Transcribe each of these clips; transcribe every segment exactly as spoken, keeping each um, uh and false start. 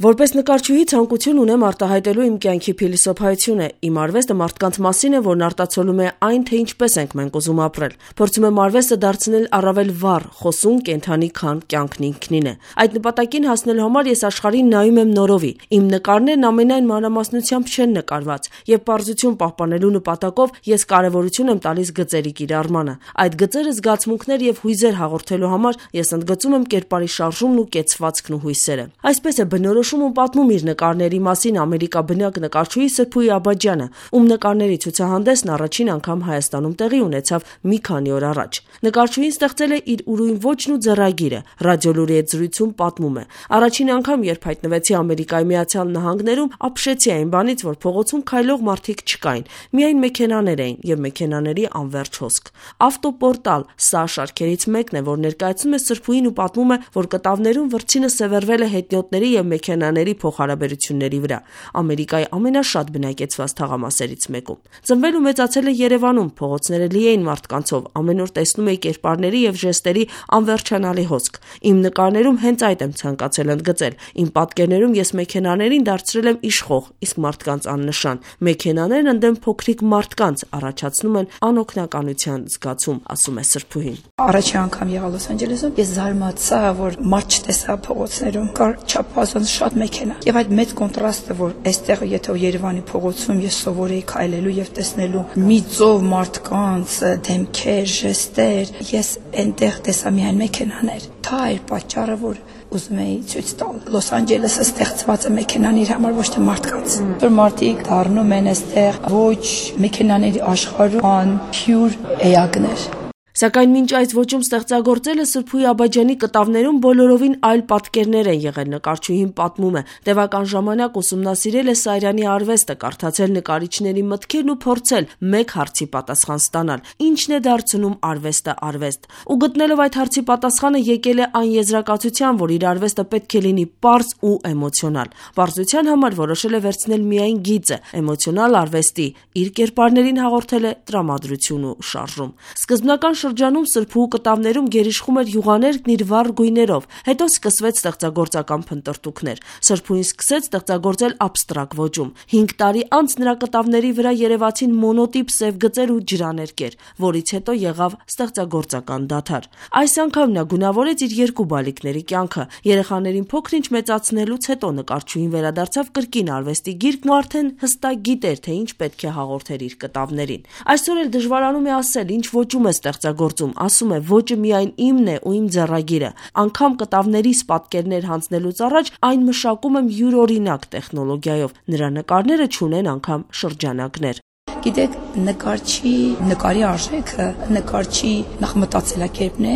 Որպես նկարչուհի ցանկություն ունեմ արտահայտելու իմ կյանքի փիլիսոփայությունը, իմ արվեստը մարդկանց մասին է, որն արտացոլում է այն, թե ինչպես ենք մենք ուզում ապրել։ Փորձում եմ արվեստը դարձնել առավել վառ, խոսուն, կենդանի, քան կյանքն ինքնին է։ Այդ նպատակին հասնելու համար ես աշխարհին նայում եմ նորովի։ Իմ նկարներն ամենայն մանրամասնությամբ չեն նկարված, եւ պարզություն պահպանելու նպատակով ես կարեւորություն եմ տալիս գծերի կիրառմանը։ Այդ գծերը զգացմունքներ եւ հույզեր հաղորդելու համար ես ընդգծում եմ կերպարի շարժումն ու կեցվածքն ու հույսերը։ Այսպես է բնորոշում ու պատմում իր նկարների մասին ամերիկաբնակ նկարչուհի Սրփուհի Աբաջյանը, ում նկարների ցուցահանդեսն առաջին անգամ Հայաստանում տեղի ունեցավ մի քանի օր առաջ։ Նկարչուհին ստեղծել է իր ուրույն ոճն ու ձեռագիրը, Ռադիոլուրի հետ զրույցում պատմում է. Առաջին անգամ, երբ հայտնվեցի Ամերիկայի Միացյալ Նահանգներում, ապշեցի այն բանից, որ փողոցում քայլող մարդիկ չկային, միայն մեքենաներ էին եւ մեքենաների անverջ հոսք։ Ավտոպորտալ, սա շարքերից մեկն է, որ ներկայացնում է Սրփուհին ու պատմում է, որ կտավներում վրձինը սևեռվել է հետիոտների եւ մեքենաների փոխհարաբերությունների վրա, Ամերիկայի ամենաշատ բնակեցված թաղամասերից մեկում։ Ծնվել ու մեծացել է Երևանում, փողոցները լի էին մարդկանցով, ամեն օր տեսնում էի կերպարների եւ ժեստերի անվերջանալի հոսք։ Իմ նկարներում հենց այդ եմ ցանկացել ընդգծել։ Իմ պատկերներում ես մեքենաներին դարձրել եմ իշխող, իսկ մարդկանց աննշան։ Մեքենաներն ընդդեմ փոքրիկ մարդկանց առաջացնում են անօգնականության զգացում, ասում է Սրփուհին։ Առաջին անգամ եղա Լոս Անջելեսում, ես զարմացա, որ մարդ չտեսա փողոցներում, կար չափազանց շատ մեքենա։ Եվ այդ մեծ կոնտրաստը, որ այստեղ եթե Երևանի փողոցում ես սովոր էի քայլելու եւ տեսնելու մի ծով մարդկանց դեմքեր, ժեստեր, ես այնտեղ տեսա միայն մեքենաներ։ Դա էր պատճառը, որ ուզում էի ցույց տալ։ Լոս Անջելեսը ստեղծված է մեքենաների համար, ոչ թե մարդկանց։ Որ մարդիկ դառնում են այստեղ ոչ մեքենաների աշխարհում, ան փյուր էակներ։ Սակայն մինչ այս ոճում ստեղծագործելը Սրփուհի Աբաջյանի կտավներում բոլորովին այլ պատկերներ են եղել, նկարչուհին պատմում է։ Տևական ժամանակ ուսումնասիրել է Սարյանի արվեստը, կարդացել նկարիչների մտքերն ու փորձել մեկ հարցի պատասխան ստանալ. ինչն է դարձնում արվեստը արվեստ։ Ու գտնելով այդ հարցի պատասխանը եկել է այն եզրակացության, որ իր արվեստը պետք է լինի պարզ ու էմոցիոնալ։ Պարզության համար որոշել է վերցնել միայն գիծը, էմոցիոնալ արվեստի, իր կերպարներին հաղորդել է տրամադրություն ու շարժում։ Սկզբնական շրջանում Սրփուհու կտավներում գերիշխում էր յուղաներկն իր վառ գույներով, հետո սկսվեց ստեղծագործական փնտրտուքներ։ Սրփուհին սկսեց ստեղծագործել աբստրակտ ոճում։ Հինգ տարի անց նրա կտավների վրա երևացին մոնոտիպ սև գծեր ու ջրաներկեր, որից հետո եղավ ստեղծագործական դադար։ Այս անգամ նա գունավորեց իր երկու բալիկների կյանքը։ Երեխաներին փոքր-ինչ մեծացնելուց հետո նկարչուհին վերադարձավ կրկին արվեստի գիրկն ու արդեն հստակ գիտեր, թե ինչ պետք է հաղորդեր իր կտավներին։ Այսօր էլ դժվարանում է ասել, ինչ ոճում է ստեղծագործում, ասում է ոճը միայն իմն է ու իմ ձեռագիրը։ Անգամ կտավներիս պատկերներ հանձնելուց առաջ այն մշակում եմ յուրօրինակ տեխնոլոգիայով։ Նրա նկարները չունեն անգամ շրջանակներ։ Գիտեք, նկարչի նկարի արժեքը նկարչի նախ մտածելակերպն է,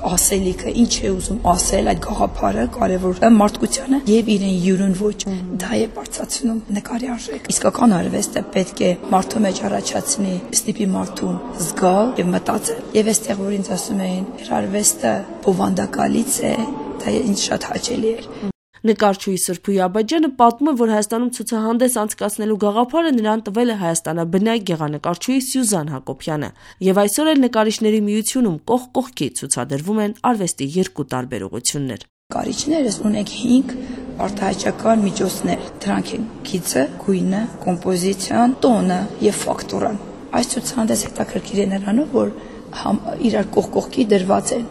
ասելիքը, ինչ է ուզում ասել, այդ գաղափարը կարևոր է մարդկությանը եւ իրեն յուրուն ոչ, դա է բարձրացնում նկարի արժեքը։ Իսկական արվեստը պետք է մարդու մեջ առաջացնի, ստիպի մարդուն զգալ եւ մտածել։ Եվ այստեղ որ ինձ ասում էին, արվեստը բովանդակալից է, դա ինձ շատ հաճելի էր։ Նկարչուհի Սրփուհի Աբաջյանը պատմում է, որ Հայաստանում ցուցահանդես անցկացնելու գաղափարը նրան տվել է հայաստանաբնակ գեղանկարչուհի Սյուզան Հակոբյանը, եւ այսօր էլ նկարիչների միությունում կողք կողքի ցուցադրվում են արվեստի երկու տարբեր ուղղություններ։ Նկարիչներս ունենք հինգ արտահայտչական միջոցներ, դրանք են գիծը, գույնը, կոմպոզիցիան, տոնը եւ ֆակտուրան։ Այս ցուցահանդես հետաքրքիր է նրանով, որ իրար կողք կողքի դրված են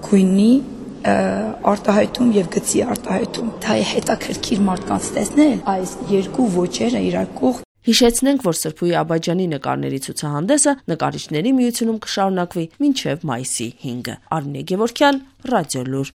գույնի արտահայտում եւ գծի արտահայտում։ Դա է հետաքրքիր մարդկանց տեսնել այս երկու ոճերը իրար կողք։ Հիշեցնենք, որ Սրփուհի Աբաջյանի նկարների ցուցահանդեսը նկարիչների միությունում կշարունակվի մինչև մայիսի հինգը։ Արմինե Գևորգյան, Ռադիոլուր։